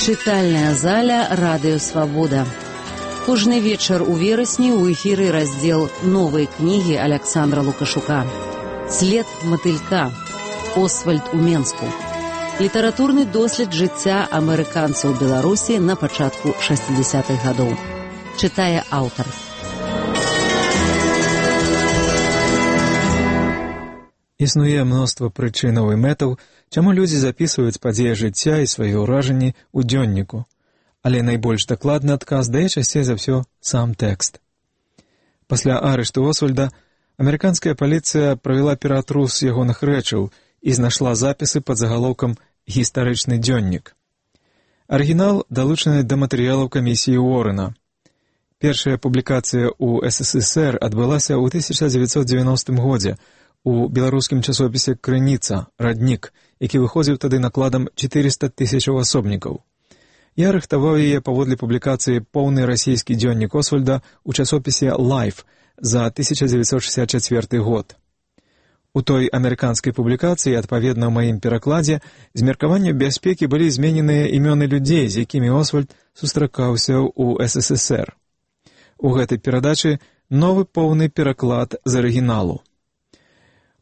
Чытальная заля «Радыё Свабода». Кожны вечар у верасні ў эфіры раздзел новай кнігі Аляксандра Лукашука «След матылька. Освальд у Менску». Літаратурны дослед жыцця амерыканцаў Беларусі на пачатку 60-х гадоў. Чытае аўтар. Існуе мноства прычынаў і мэтаў, чаму людзі запісваюць падзеі жыцця і свае ўражанні ў дзённіку. Але найбольш дакладны адказ дае часцей за ўсё сам тэкст. Пасля арышту Освальда амерыканская паліцыя правяла ператрус ягоных рэчаў і знайшла запісы пад загалоўкам «Гістарычны дзённік». Арыгінал далучаны да матэрыялаў камісіі Уоррена. Першая публікацыя ў СССР адбылася ў 1990 годзе у беларускім часопісе «Крыніца. Раднік», які выходзіў тады накладам 400 000 асобнікаў. Я рыхтаваў яе паводле публікацыі «Поўны расійскі дзённік Освальда» у часопісе «Лайф» за 1964 год. У той амерыканскай публікацыі, адпаведна ў маім перакладзе, з меркавання бяспекі былі змененыя імёны людзей, з якімі Освальд сустракаўся ў СССР. У гэтай перадачы новы поўны пераклад з арыгіналу.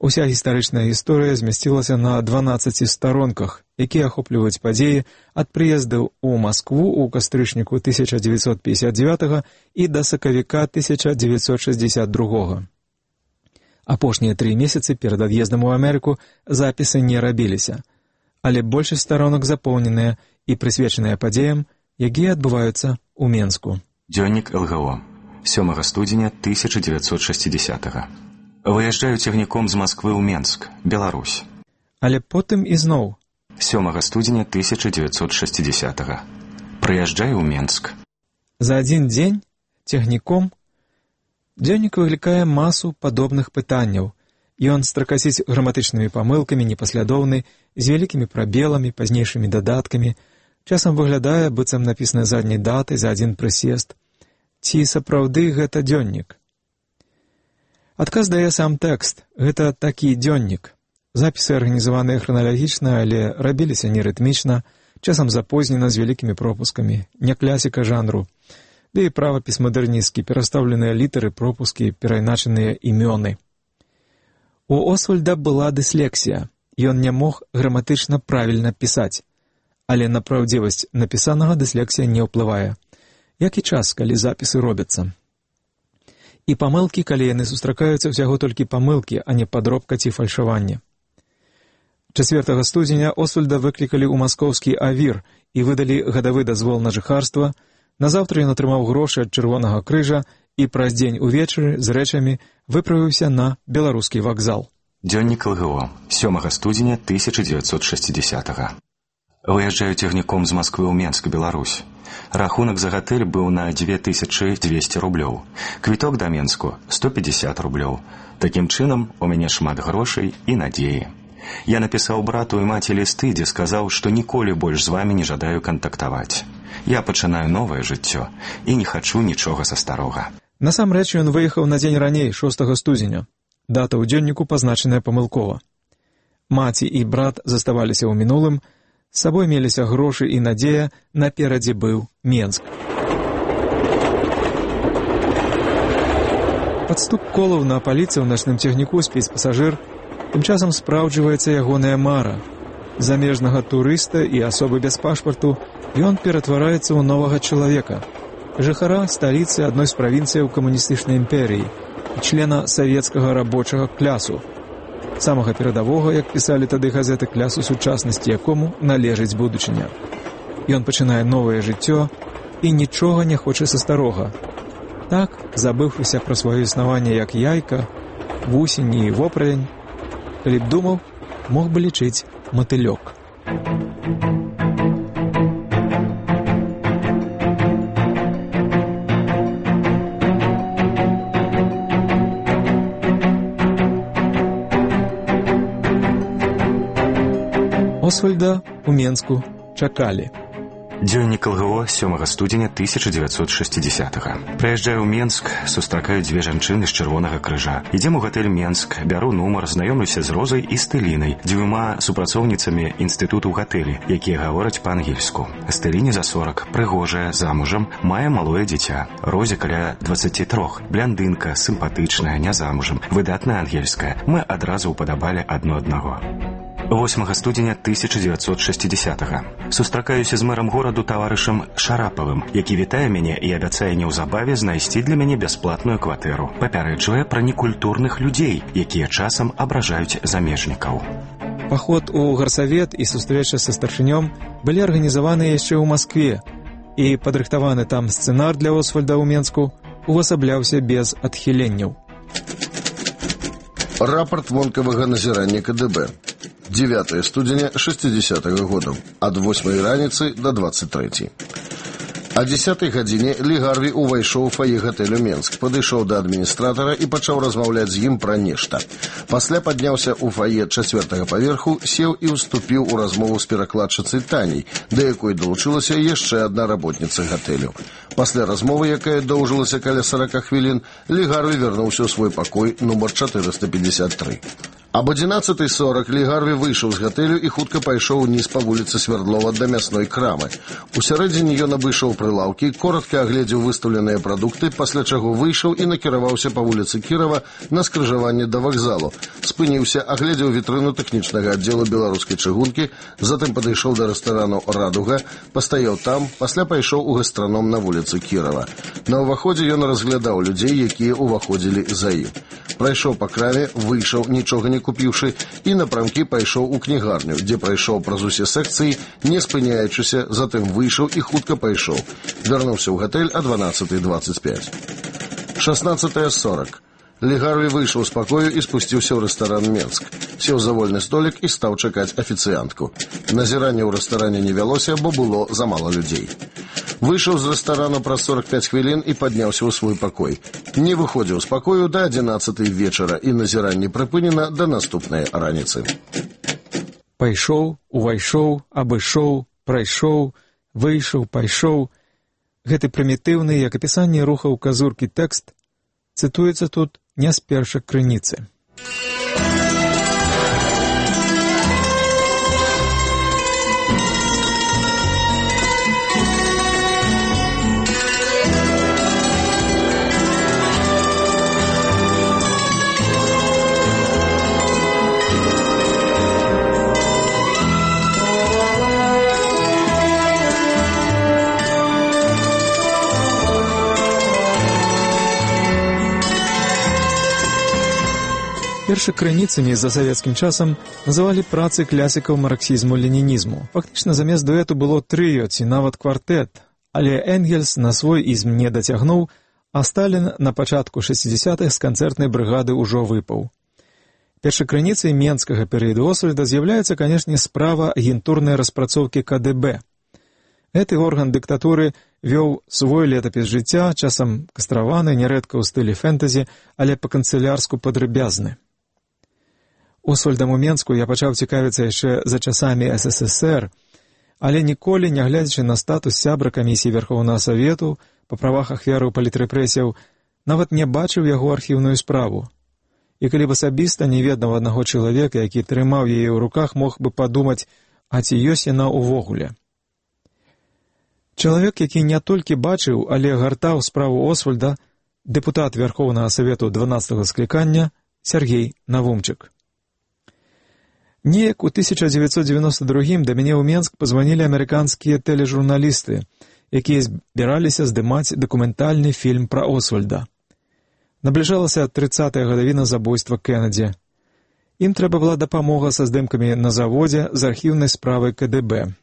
Уся гістарычная гісторыя змясцілася на 12 старонках, якія ахопліваюць падзеі ад прыездаў у Маскву ў кастрычніку 1959 і да сакавіка 1962. Апошнія 3 месяцы перад ад'ездам у Амерыку запісы не рабіліся, але большасць старонак запоўненыя і прысвечаныя падзеям, якія адбываюцца ў Менску. Дзённік ЛГО. 7 студзеня 1960. Выязджаю цягніком з Масквы ў Менск, Беларусь. Але потым ізноў. 7 студзеня 1960. Прыязджаю ў Менск. За адзін дзень цягніком дзённік выклікае масу падобных пытанняў. Ён стракаціць граматычнымі памылкамі, непаслядоўны, з вялікімі прабеламі, пазнейшымі дадаткамі. Часам выглядае, быццам напісана задняй датай за адзін прысест. Ці сапраўды гэта дзённік? Адказ дае сам тэкст. Гэта такі дзённік. Запісы арганізаваныя храналагічна, але рабіліся нерытмічна, часам запознена з вялікімі пропускамі, не класіка жанру. Ды і правапіс мадэрнісцкі, перастаўленыя літары, пропускі, перайначаныя імёны. У Освальда была дыслексія. Ён не мог граматычна правільна пісаць. Але на праўдзівасць напісанага дыслексія не ўплывае. Як і час, калі запісы робяцца. І памылкі, калі яны сустракаюцца, ўсяго толькі памылкі, а не падробка ці фальшаванне. 4 студзеня Освальда выклікалі ў маскоўскі авір і выдалі гадавы дазвол на жыхарства. Назаўтра ён атрымаў грошы ад Чырвонага крыжа і праз дзень увечары з рэчамі выправіўся на беларускі вакзал. Дзённік ЛГО. 7 студзеня 1960. Выязджаю цягніком з Масквы ў Менск, Беларусь. Рахунак за гатэль быў на 2200 рублёў. Квіток да Менску 150 рублёў. Такім чынам, у мяне шмат грошай і надзеі. Я напісаў брату і маці лісты, дзе сказаў, што ніколі больш з вамі не жадаю кантактаваць. Я пачынаю новае жыццё і не хачу нічога са старога. Насамрэч ён выехаў на дзень раней, 6 студзеня. Дата ў дзённіку пазначаная памылкова. Маці і брат заставаліся ў мінулым, з сабой меліся грошы і надзея, наперадзе быў Менск. Пад стук колаў на паліцы ў начным цягніку спіць пасажыр, тым часам спраўджваецца ягоная мара. Замежнага турыста і асобы без пашпарту ён ператвараецца ў новага чалавека, жыхара сталіцы адной з правінцыяў камуністычнай імперіі і члена савецкага рабочага клясу, самага перадавога, як пісалі тады газеты, клясу сучаснасці, якому належыць будучыня. Ён пачынае новае жыццё і нічога не хоча са старога. Так, забыўшыся пра сваё існаванне як яйка, вусень і воправень, калі б думаў, мог бы лічыць матылёк. Освальда у Менску чакалі. Дзённік ЛГО 7 студзеня 1960-га. Прыязджаю ў Менск, сустракаю дзве жанчыны з Чырвонага крыжа. Ідзем у гатэль Менск, бяру нумар, знаёмлюся з Розай і Стэлінай, дзвюма супрацоўніцамі інстытуту ў гатэлі, якія гавораць па-ангельску. Стэліне за 40, прыгожая, замужам, мае малое дзіця. Розе каля 23, бляндынка, сімпатычная, не замужам, выдатная ангельская. Мы адразу ўпадабалі адно аднаго. 8 студзеня 1960-га. Сустракаюся з мэрам гораду таварышам Шарапавым, які вітае мяне і абяцае неўзабаве знайсці для мяне бясплатную кватэру. Папярэджвае пра некультурных людзей, якія часам абражаюць замежнікаў. Паход у гарсавет і сустрэча са старшынём былі арганізаваны яшчэ ў Маскве, і падрыхтаваны там сцэнар для Освальда ў Менску увасабляўся без адхіленняў. Рапорт вонкавага назірання КДБ. 9 студзеня 60-го года. Ад 8 раніцы до 23. О 10 гадзіне Лі Гарві увайшоў у фае гатэлю Менск, падышоў да адміністратара і пачаў размаўляць з ім пра нешта. Пасля падняўся ў фае 4-го паверху, сеў і ўступіў у размову з перакладчыцай Таняй, да якой далучылася яшчэ адна работніца гатэлю. Пасля размовы, якая доўжылася каля 40 хвілін, Лі Гарві вярнуўся ў свой пакой нумар 453. Об 11:40 Лі Гарві выйшаў з гатэлю і хутка пайшоў уніз па вуліцы Свярдлова да мясной крамы. Усярэдзіне ён абышоў прылаўкі, коротка агледзеў выстаўленыя прадукты, пасля чаго выйшаў і накіраваўся па вуліцы Кірова на скрыжаванне да вакзалу. Спыніўся, агледзеў вітрыну тэхнічнага аддзелу беларускай чыгункі, затым падышоў да рэстарану «Радуга», пастаяў там, пасля пайшоў у гастраном на вуліцы Кірова. На ўваходзе ён разглядаў людзей, якія ўваходзілі за ім. Прайшоў па краме, выйшаў, нічога не купіўшы, і напрамкі пайшоў у кнігарню, дзе прайшоў праз усе секцыі, не спыняючыся, затым выйшаў і хутка пайшоў. Вярнуўся ў гатэль о 12:25. 16:40. Лі Гарві выйшаў з пакою і спусціўся ў рэстаран Менск. Сеў за вольны столік і стаў чакаць афіцыянтку. Назіранне ў рэстаране не вялося, бо было замала людзей. Выйшаў з рэстарану праз 45 хвілін і падняўся ў свой пакой. Не выходзіў з пакою да 11 вечара, і назіранне прыпынена да наступнай раніцы. Пайшоў, увайшоў, абышоў, прайшоў, выйшаў, пайшоў. Гэты прымітыўны, як апісанне рухаў казуркі тэкст, цытуецца тут не з першай крыніцы. Першакрыніцамі за савецкім часам называлі працы класікаў марксізму-ленінізму. Фактычна замест дуэту было трыё ці нават квартэт, але Энгельс на свой ізм не дацягнуў, а Сталін на пачатку 60-х з канцэртнай брыгады ўжо выпаў. Першакрыніцай менскага перыяду Освальда з'яўляецца, канешне, справа агентурнай распрацоўкі КДБ. Гэты орган дыктатуры вёў свой летапіс жыцця, часам кастраваны, нярэдка ў стылі фэнтэзі, але па-канцылярску падрабязны. Освальдам у Менску я пачаў цікавіцца яшчэ за часамі СССР, але ніколі, нягледзячы на статус сябра камісіі Верхоўнага Савету па правах ахвяраў палітрэпрэсіяў, нават не бачыў яго архіўную справу. І калі б асабіста не ведаў аднаго чалавека, які трымаў яе ў руках, мог бы падумаць, а ці ёсць яна ўвогуле. Чалавек, які не толькі бачыў, але гартаў справу Освальда, дэпутат Верхоўнага Савету 12-го склікання Сергей Навумчык. Неяк у 1992 да мяне ў Менск пазванілі амерыканскія тэлежурналісты, якія збіраліся здымаць дакументальны фільм пра Освальда. Набліжалася 30-я гадавіна забойства Кеннеді. Ім трэба была дапамога са здымкамі на заводзе з архіўнай справай КДБ.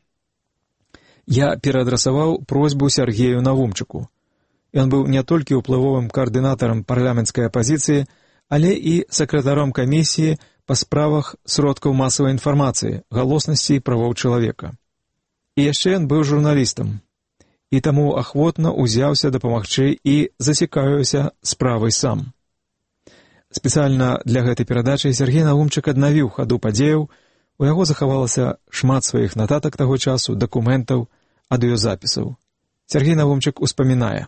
Я пераадрасаваў просьбу Сергею Навумчыку. Ён быў не толькі ўплывовым каардынатарам парламенцкай апазіцыі, але і сакратаром камісіі па справах сродкаў масавай інфармацыі, галоснасці і правоў чалавека. І яшчэ ён быў журналістам, і таму ахвотна ўзяўся дапамагчы і зацікавіўся справай сам. Спецыяльна для гэтай перадачы Сергей Навумчык аднавіў хаду падзеяў, у яго захавалася шмат сваіх нататак таго часу, дакументаў, аўдыёзапісаў. Сергей Навумчык успамінае.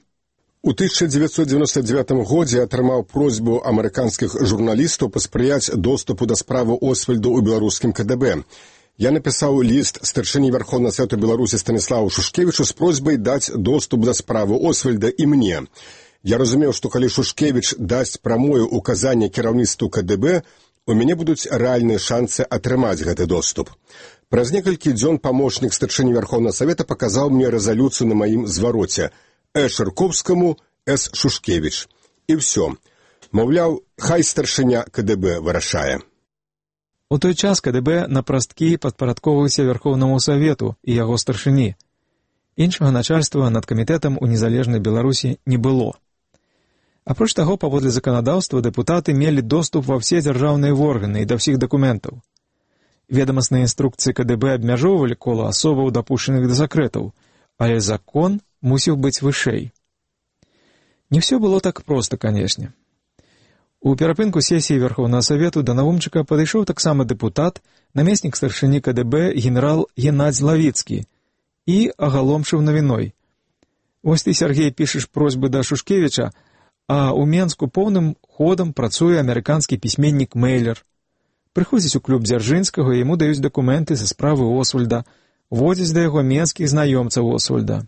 У 1999 годзе атрымаў просьбу амерыканскіх журналістаў паспрыяць доступу да справы Освальду ў беларускім КДБ. Я напісаў ліст старшыні Верховнага Савету Беларусі Станіславу Шушкевічу з просьбай даць доступ да справы Освальда і мне. Я разумеў, што калі Шушкевіч дасць прамое указанне кіраўніцтву КДБ, у мяне будуць рэальныя шансы атрымаць гэты доступ. Праз некалькі дзён памочнік старшыні Верховнага Савета паказаў мне рэзалюцыю на маім звароце Шырковскаму, Шушкевіч. І ўсё. Маўляў, хай старшыня КДБ вырашае. У той час КДБ на прасткі падпарадкоўваўся Верховнаму Савету і яго старшыні. Іншага начальства над камітэтам у незалежнай Беларусі не было. Апроч таго, паводле заканадаўства, дэпутаты мелі доступ ва ўсе дзяржаўныя органы і да ўсіх дакументаў. Ведамасныя інструкцыі КДБ абмяжоўвалі кола асобаў, дапушчаных да сакрэтаў, але закон мусіў быць вышэй. Не ўсё было так проста, канешне. У перапынку сесіі Верховнага Савету да Навумчыка падышоў таксама дэпутат, намеснік старшыні КДБ генерал Геннадзь Лавіцкі і агаломшыў навіной. Вось ты, Сергей, пішаш просьбы да Шушкевіча, а ў Менску поўным ходам працуе амерыканскі пісьменнік Мэйлер. Прыходзіць у клуб Дзяржынскага, яму даюць дакументы са справы Освальда, водзяць да яго менскіх знаёмцаў Освальда.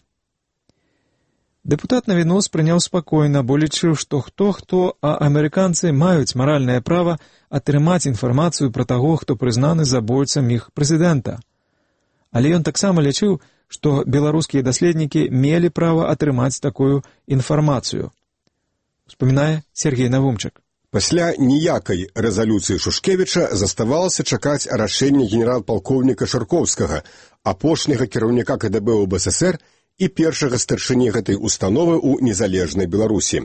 Дэпутат навіну спрыняў спакойна, бо лічыў, што хто-хто, а амерыканцы маюць маральнае права атрымаць інфармацыю пра таго, хто прызнаны забойцам іх прэзідэнта. Але ён таксама лічыў, што беларускія даследнікі мелі права атрымаць такую інфармацыю. Успамінае Сергей Навумчык. Пасля ніякай рэзалюцыі Шушкевіча заставалася чакаць рашэння генерал-палкоўніка Шырковскага, апошняга кіраўніка КДБ ў БССР і першага старшыні гэтай установы ў незалежнай Беларусі.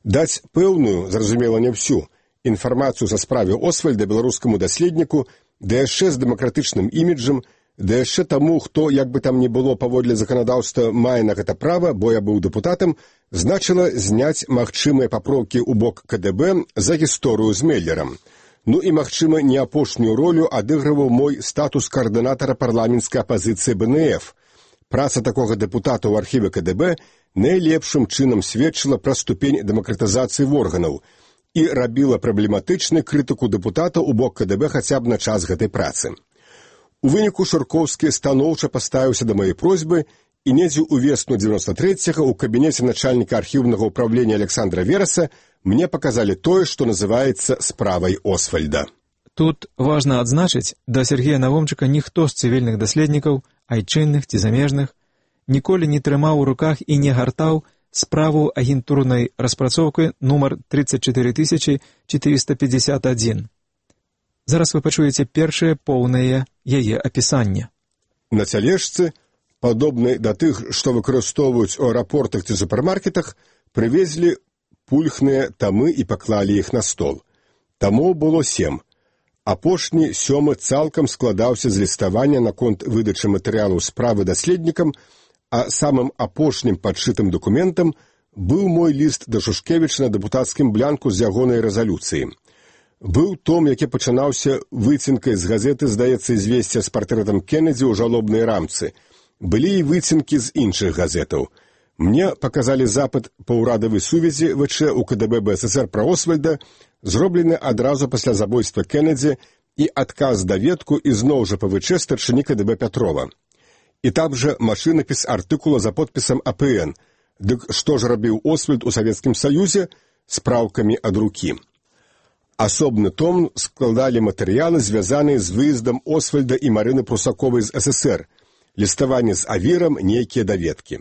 Даць пэўную, зразумела не ўсю, інфармацыю за справе Освальда беларускаму даследніку, да яшчэ з дэмакратычным іміджам, да яшчэ таму, хто, як бы там ні было паводле заканадаўства, мае на гэта права, бо я быў дэпутатам, значыла зняць магчымыя папроўкі ў бок КДБ за гісторыю з Меллерам. Ну і, магчыма, не апошнюю ролю адыгрываў мой статус каардынатара парламенцкай апазіцыі БНФ. Праца такога дэпутата ў архіве КДБ найлепшым чынам сведчыла пра ступень дэмакратызацыі органаў і рабіла праблематычнай крытыку дэпутата ў бок КДБ хаця б на час гэтай працы. У выніку Шырковскі станоўча паставіўся да маёй просьбы, і недзе ўвесну 93-го ў кабінеце начальніка архіўнага ўправлення Александра Вераса мне паказалі тое, што называецца справай Освальда. Тут важна адзначыць, да Сергея Навумчыка ніхто з цывільных даследнікаў, айчынных ці замежных, ніколі не трымаў у руках і не гартаў справу агентурнай распрацоўкі нумар 34451. Зараз вы пачуеце першае поўнае яе апісанне. На цялежцы, падобнай да тых, што выкарыстоўваюць у аэрапортах ці супермаркетах, прывезлі пульхныя тамы і паклалі іх на стол. Тамоў было 7. Апошні 7 цалкам складаўся з ліставання наконт выдачы матэрыялаў справы даследнікам, а самым апошнім падшытым дакументам быў мой ліст да Шушкевіча на дэпутацкім блянку з ягонай рэзалюцыі. Быў том, які пачынаўся выцінкай з газеты, здаецца, «Известия» з партрэтам Кеннеді ў жалобнай рамцы. Былі і выцінкі з іншых газетаў. Мне паказалі запыт па ўрадавай сувязі ВЧ у КДБ БССР пра Освальда, зроблены адразу пасля забойства Кеннеді, і адказ даведку ізноў жа па ВЧ старшыні КДБ Пятрова. І там жа машынапіс артыкула за подпісам АПН. Дык што ж рабіў Освальд у Савецкім Саюзе? Спраўкамі ад рукі. Асобны том складалі матэрыялы, звязаныя з выездам Освальда і Марыны Прусаковай з СССР, ліставанне з авірам, нейкія даведкі.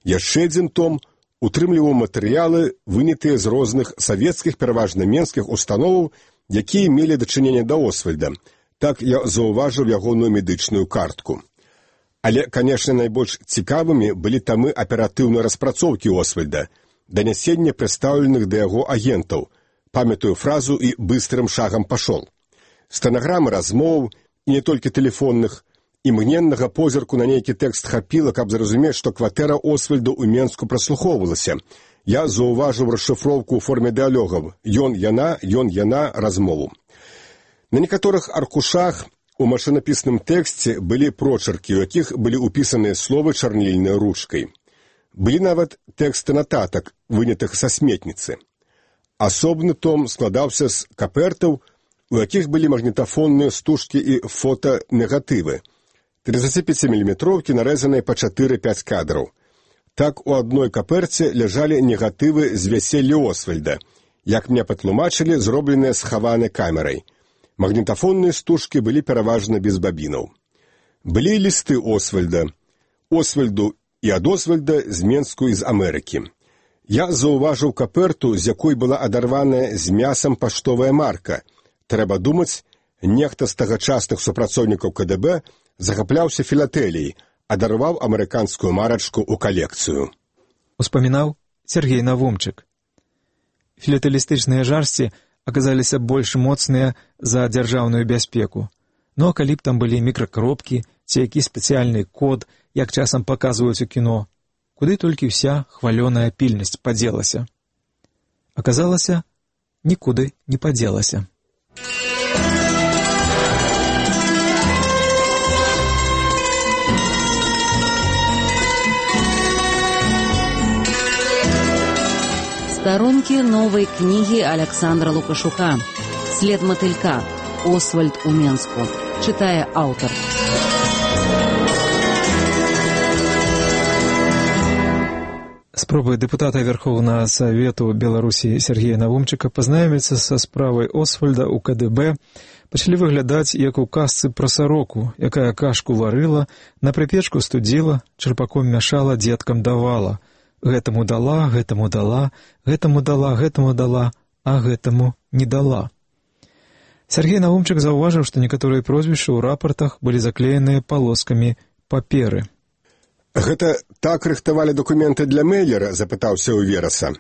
Яшчэ адзін том утрымліваў матэрыялы, вынятыя з розных савецкіх, пераважна менскіх установаў, якія мелі дачыненне да Освальда. Так я заўважыў ягоную медычную картку. Але, канешне, найбольш цікавымі былі тамы аператыўнай распрацоўкі Освальда, данясення прадстаўленых да яго агентаў, памятаю фразу і быстрым шагам пашол. Стэнаграмы размоў, і не толькі тэлефонных, імгненнага позірку на нейкі тэкст хапіла, каб зразумець, што кватэра Освальда ў Менску праслухоўвалася. Я заўважыў расшыфроўку ў форме дыалогаў «Ён, яна, размову». На некаторых аркушах У машынапісным тэксце былі прочеркі, у якіх былі ўпісаныя словы чарнільнай ручкай. Былі нават тэксты нататак, вынятых са сметніцы. Асобны том складаўся з капертаў, у якіх былі магнітафонныя стужкі і фотонегатывы. 35-мм нарэзаныя па 4-5 кадраў. Так у адной каперце ляжалі негатывы з вяселля Освальда, як мне патлумачылі, зробленыя схаванай камерай. Магнітафонныя стужкі былі пераважна без бабінаў. Былі лісты Освальда. Освальду і ад Освальда з Менску і з Амерыкі. Я заўважыў каперту, з якой была адарваная з мясам паштовая марка. Трэба думаць, нехта з тагачасных супрацоўнікаў КДБ захапляўся філатэліяй, адарваў амерыканскую марачку ў калекцыю. Успамінаў Сергей Навумчык. Філатэлістычныя жарсці аказаліся больш моцныя за дзяржаўную бяспеку. Ну а калі б там былі мікракропкі ці які спецыяльны код, як часам паказваюць у кіно, куды толькі ўся хвалёная пільнасць падзелася. Аказалася, нікуды не падзелася. Сторонки новой книги Александра Лукашука «След мотылька. Освальд у Менску». Читая автор. Спробы дэпутата Верховнага Савету Беларусі Сергея Навумчыка пазнаёміцца са справай Освальда ў КДБ пачалі выглядаць як у казцы пра сароку, якая кашку варыла, на прыпечку студзіла, чарпаком мяшала, дзеткам давала. Гэтаму дала, гэтаму дала, гэтаму дала, гэтаму дала, а гэтаму не дала. Сергей Навумчык заўважыў, што некаторыя прозвішчы ў рапартах былі заклееныя палоскамі паперы. «Гэта так рыхтавалі дакументы для Мейлера?» – запытаўся ў Вераса.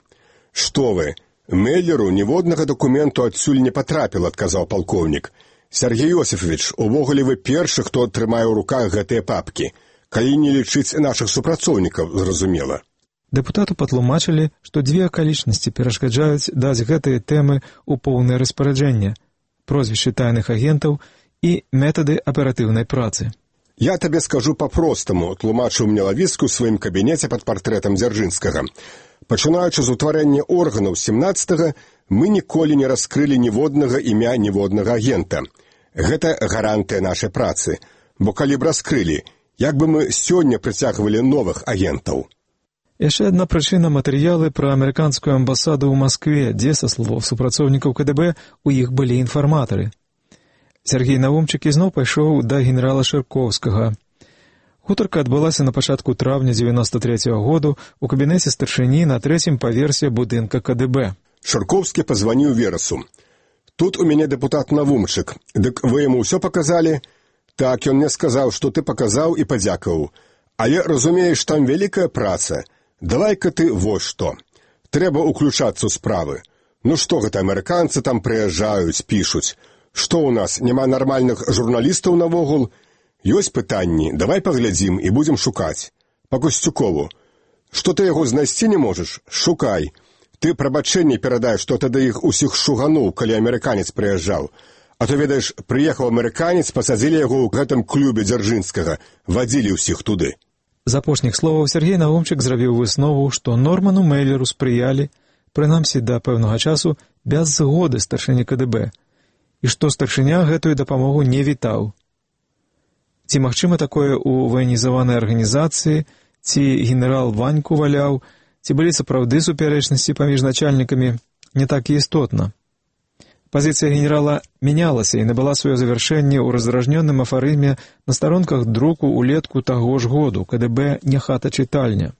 «Што вы, Мейлеру ніводнага дакументу адсюль не патрапіла», – адказаў палкоўнік. «Сергей Йосифович, увогуле вы першы, хто трымае ў руках гэтыя папкі. Калі не лічыць нашых супрацоўнікаў, зразумела». Дэпутату патлумачылі, што дзве акалічнасці перашкаджаюць даць гэтыя тэмы ў поўнае распараджэнне – прозвішчы тайных агентаў і метады аператыўнай працы. «Я табе скажу па-простаму», – тлумачыў мне Лавіцкі ў сваім кабінеце пад партрэтам Дзяржынскага. «Пачынаючы з утварэння органаў 17-га, мы ніколі не раскрылі ніводнага імя ніводнага агента. Гэта гарантыя нашай працы, бо калі б раскрылі, як бы мы сёння прыцягвалі новых агентаў». Яшчэ адна прычына – матэрыялы пра амерыканскую амбасаду ў Маскве, дзе, са словаў супрацоўнікаў КДБ, у іх былі інфарматары. Сергей Навумчык ізноў пайшоў да генерала Шыркоўскага. Гутарка адбылася на пачатку траўня 93-го году ў кабінеце старшыні на 3-м паверсе будынка КДБ. Шыркоўскі пазваніў Верасу. «Тут у мяне дэпутат Навумчык. Дык вы яму ўсё паказалі?» «Так, ён мне сказаў, што ты паказаў і падзякаваў. Але, разумееш, там вялікая праца. Давай-ка ты вось што. Трэба ўключацца ў справы. Ну што гэта, амерыканцы там прыязджаюць, пішуць. Што ў нас, няма нармальных журналістаў навогул? Ёсць пытанні, давай паглядзім і будзем шукаць. Па Касцюкову. Што ты яго знайсці не можаш? Шукай. Ты прабачэнне перадай, што тады іх усіх шугануў, калі амерыканец прыязджаў. А то, ведаеш, прыехаў амерыканец, пасадзілі яго ў гэтым клубе Дзяржынскага, вадзілі ўсіх туды». З апошніх словаў Сергей Навумчык зрабіў выснову, што Норману Мейлеру спрыялі, прынамсі да пэўнага часу, без згоды старшыні КДБ, і што старшыня гэтую дапамогу не вітаў. Ці магчыма такое ў ваенізаванай арганізацыі, ці генерал Ваньку валяў, ці былі сапраўды супярэчнасці паміж начальнікамі, не так і істотна. Пазіцыя генерала мянялася і набыла сваё завяршэнне ў раздражнёным афарызме на старонках друку ўлетку таго ж году КДБ «Не хата-чытальня».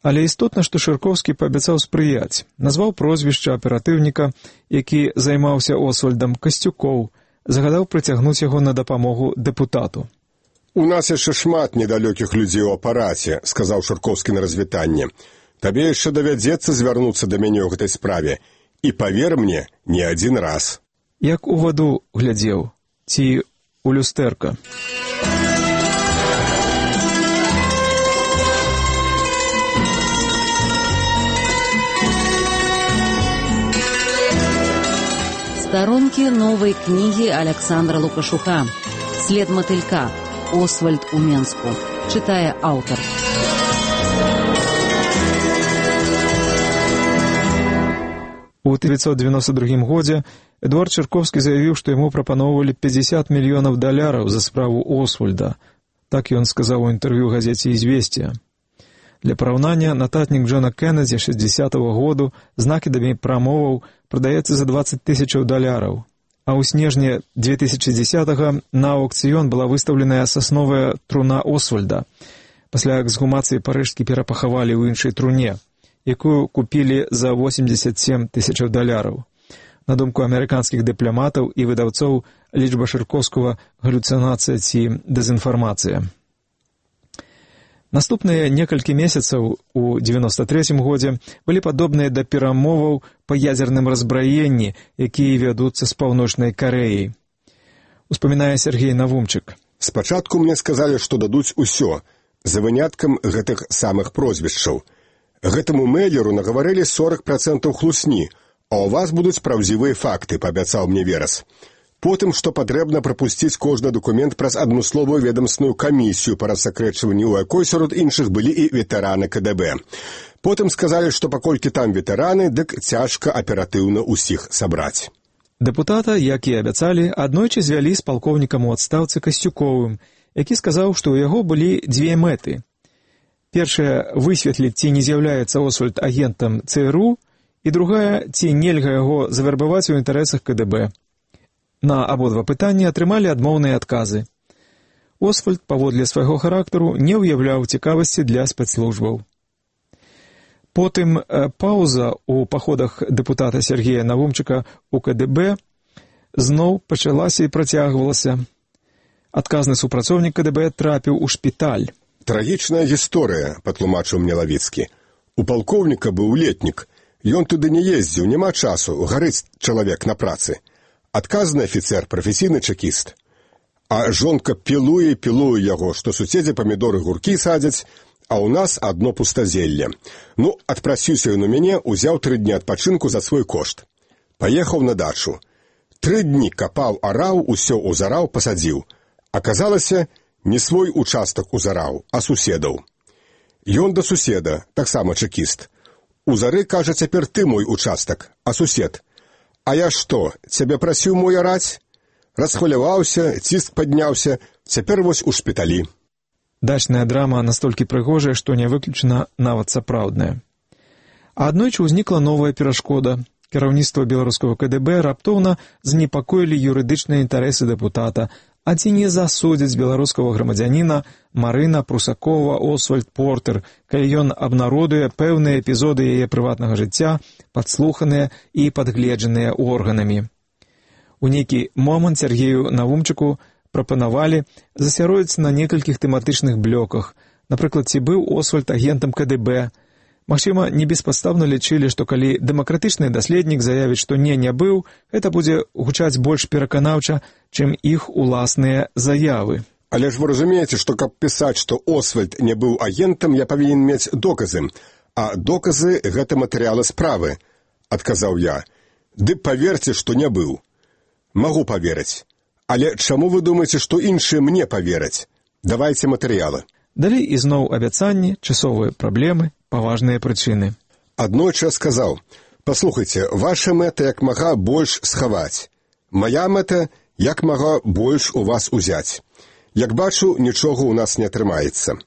Але істотна, што Шыркоўскі паабяцаў спрыяць, назваў прозвішча аператыўніка, які займаўся Освальдам, Касцюкоў, загадаў прыцягнуць яго на дапамогу дэпутату. «У нас яшчэ шмат недалёкіх людзей у апараце», – сказаў Шыркоўскі на развітанне. «Табе яшчэ давядзецца звярнуцца да мяне ў гэтай справе. І павер мне, не адзін раз». Як у ваду глядзеў, ці у люстэрка. Сторонки новой книги Александра Лукашука «След мотылька. Освальд у Менску». Читае аўтар. У 1992 годзе Эдуард Чарковскі заявіў, што яму прапаноўвалі $50 мільёнаў за справу Освальда. Так ён сказаў у інтэрв'ю газеце «Известия». Для параўнання, нататнік Джона Кеннеді 60-го году з накідамі прамоваў прадаецца за $20,000, а ў снежні 2010-го на аўкцыён была выстаўленая сасновая труна Освальда. Пасля эксгумацыі парыжскі перапахавалі ў іншай труне, якую купілі за $87,000. На думку амерыканскіх дыпламатаў і выдаўцоў, лічба Чарковскага галюцынацыя ці дэзінфармацыя. Наступныя некалькі месяцаў у 93-м годзе былі падобныя да перамоваў па ядзерным разбраенні, якія вядуцца з Паўночнай Карэяй. Успамінае Сергей Навумчык. Спачатку мне сказалі, што дадуць усё, за выняткам гэтых самых прозвішчаў. Гэтаму мэйлеру нагаварылі 40% хлусні, а ў вас будуць праўдзівыя факты, паабяцаў мне Верас. Потым, што патрэбна прапусціць кожны дакумент праз адмысловую ведамсную камісію па рассакрэчванні, у якой сярод іншых былі і ветэраны КДБ. Потым сказалі, што паколькі там ветэраны, дык цяжка аператыўна ўсіх сабраць. Дэпутата, як і абяцалі, аднойчы звялі з палкоўнікам у адстаўцы Касцюковым, які сказаў, што ў яго былі дзве мэты. Першая – высветліць, ці не з'яўляецца Освальд агентам ЦРУ, і другая – ці нельга яго завербаваць у інтарэсах КДБ. На абодва пытанні атрымалі адмоўныя адказы. Освальд, паводле свайго характару, не ўяўляў цікавасці для спецслужбаў. Потым паўза ў паходах дэпутата Сергея Навумчыка у КДБ зноў пачалася і працягвалася. Адказны супрацоўнік КДБ трапіў у шпіталь. Трагічная гісторыя, патлумачыў мне Лавіцкі. У палкоўніка быў летнік. Ён туды не ездзіў, няма часу, гарыць чалавек на працы. Адказны афіцэр, прафесійны чекіст. А жонка пілуе яго, што суседзі памідоры гуркі садзяць, а ў нас адно пустазелле. Ну, адпрасіўся ён у мяне, узяў 3 дні адпачынку за свой кошт. Паехаў на дачу. 3 дні капаў, араў, усё узараў, пасадзіў. Аказалася, не свой участак узараў, а суседаў. Ён да суседа, таксама чекіст. Узары, кажа, цяпер ты мой участак, а сусед. А я што, цябе прасіў мой араць? Расхваляваўся, ціск падняўся, цяпер вось у шпіталі. Дачная драма настолькі прыгожая, што не выключана нават сапраўдная. А аднойчы ўзнікла новая перашкода. Кіраўніцтва беларускага КДБ раптоўна занепакоілі юрыдычныя інтарэсы дэпутата, а ці не засудзяць беларускага грамадзяніна Марына Прусакова Освальд Портер, калі ён абнародуе пэўныя эпізоды яе прыватнага жыцця, падслуханыя і падгледжаныя органамі. У нейкі момант Сергею Навумчыку прапанавалі засяродзіцца на некалькіх тэматычных блёках. Напрыклад, ці быў Освальд агентам КДБ. Магчыма, не беспадстаўна лічылі, што калі дэмакратычны даследнік заявіць, што не быў, гэта будзе гучаць больш пераканаўча, чым іх уласныя заявы. Але ж вы разумееце, што каб пісаць, што Освальд не быў агентам, я павінен мець доказы. А доказы – гэта матэрыялы справы, адказаў я. Ды паверце, што не быў. Магу паверыць. Але чаму вы думаеце, што іншыя мне павераць? Давайце матэрыялы. Далей ізноў абяцанні, часовыя праблемы, паважныя прычыны. Аднойчы сказаў: «Паслухайце, ваша мэта як мага больш схаваць. Мая мэта як мага больш у вас узяць. Як бачу, нічога ў нас не атрымаецца.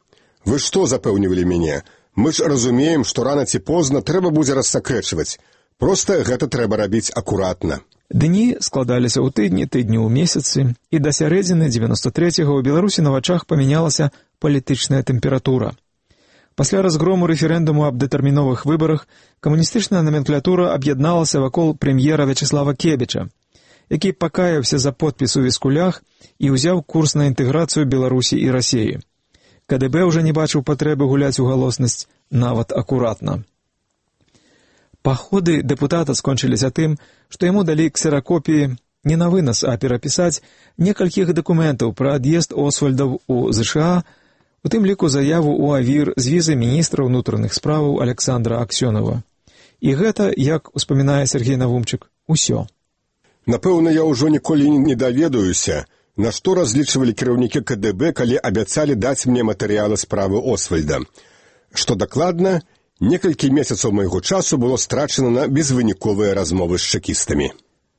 Вы што запэўнівалі мяне? Мы ж разумеем, што рана ці позна трэба будзе рассакрэчваць. Проста гэта трэба рабіць акуратна». Дні складаліся ў тыдні ў месяцы, і да сярэдзіны 93-го ў Беларусі на вачах памянялася палітычная тэмпература. Пасля разгрому рэферэндуму аб дэтэрміновых выбарах камуністычная номенклатура аб'ядналася вакол прэм'ера Вячеслава Кебіча, які пакаяўся за подпіс у Віскулях і ўзяў курс на інтэграцыю Беларусі і Расіі. КДБ ўжо не бачыў патрэбы гуляць у галоснасць нават акуратна. Паходы дэпутата скончыліся тым, што яму далі ксеракопіі не на вынас, а перапісаць некалькіх дакументаў пра ад'езд Освальдаў у ЗША, у тым ліку заяву ў АВІР з візы міністра ўнутраных справаў Александра Аксёнова. І гэта, як успамінае Сергей Навумчык, усё. Напэўна, я ўжо ніколі не даведаюся, На што разлічвалі кіраўнікі КДБ, калі абяцалі даць мне матэрыялы справы Освальда? Што дакладна, некалькі месяцаў майго часу было страчана на безвыніковыя размовы з чэкістамі.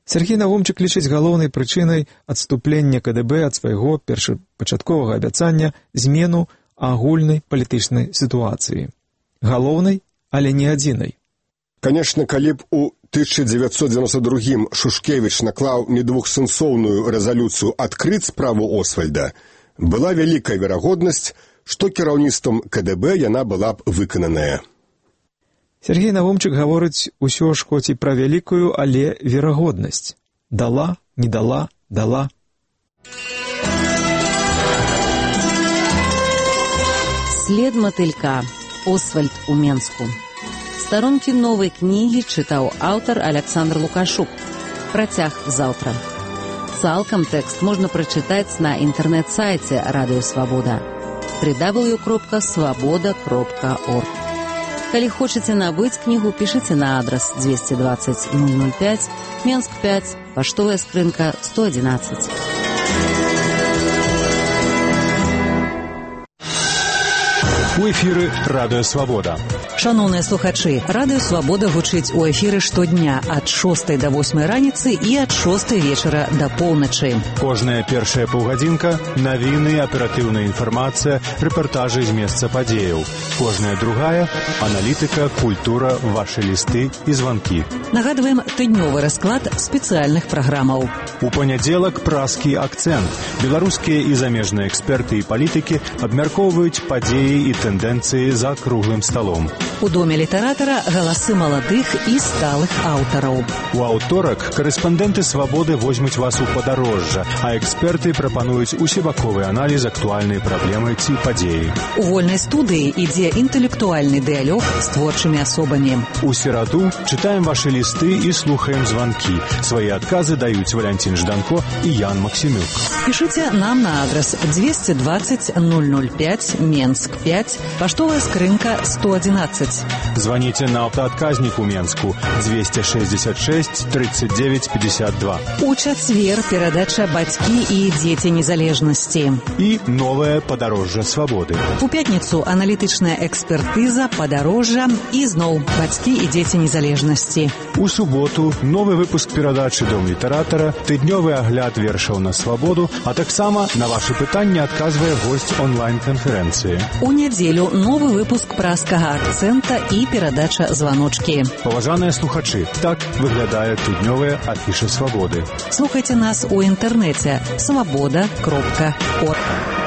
Сергей Навумчык лічыць галоўнай прычынай адступлення КДБ ад свайго першапачатковага абяцання змену агульнай палітычнай сітуацыі. Галоўнай, але не адзінай. Канешне, калі б у 1992 Шушкевіч наклаў недвухсэнсоўную рэзалюцыю адкрыць справу Освальда, была вялікая верагоднасць, што кіраўніцтвам КДБ яна была б выкананая. Сергей Навумчык гаворыць усё ж хоць і пра вялікую, але верагоднасць. Дала, не дала, дала. След матылька. Освальд у Менску. Старонкі новай кнігі чытаў аўтар Александр Лукашук. Працяг заўтра. Цалкам тэкст можна прачытаць на інтэрнэт-сайце Радыё Свабода www.svoboda.org. Калі хочаце набыць кнігу, пішыце на адрас 220 005, Менск 5, паштовая скрынка 111. У эфіры Радыё Свабода. Шановныя слухачы, Радыё Свабода гучыць у эфіры штодня ад 6 до 8 раніцы і ад 6 вечара да поўначы. Кожная першая паўгадзінка – навіны, аператыўная інфармацыя, рэпартажы з месца падзеяў. Кожная другая – аналітыка, культура, вашы лісты і званкі. Нагадваем тыднёвы расклад спецыяльных праграмаў. У панядзелак празкі акцэнт. Беларускія і замежныя эксперты і палітыкі абмяркоўваюць падзеі і тэндэнцыі за круглым сталом. У доме літаратара галасы маладых і сталых аўтараў. У аўторак карэспандэнты Свабоды возьмуць вас у падарожжа, а эксперты прапануюць усебаковы аналіз актуальнай праблемы ці падзеі. У вольнай студыі ідзе інтэлектуальны дыялог з творчымі асобамі. У сераду чытаем вашы лісты і слухаем званкі. Свае адказы даюць Валянцін Жданко і Ян Максімюк. Пішыце нам на адрас 220 005, Менск 5, паштовая скрынка 111. Звоните на аўтаадказнік у Менску 266 39 52. У чацвер перадача «Бацькі і дзеці незалежнасці». І новае падарожжа свабоды. У пятніцу аналітычная экспертыза, падарожжа і зноў «Бацькі і дзеці незалежнасці». У суботу новы выпуск перадачы «Дом літаратара», тыднёвы агляд вершаў на свабоду, а таксама на вашы пытанні адказвае госць онлайн-канферэнцыі. У нядзелю новы выпуск празкага акцэнта і перадача «Званочкі». Паважаныя слухачы, так выглядае тыднёвая афіша свабоды. Слухайце нас у інтэрнэце свабода.орг.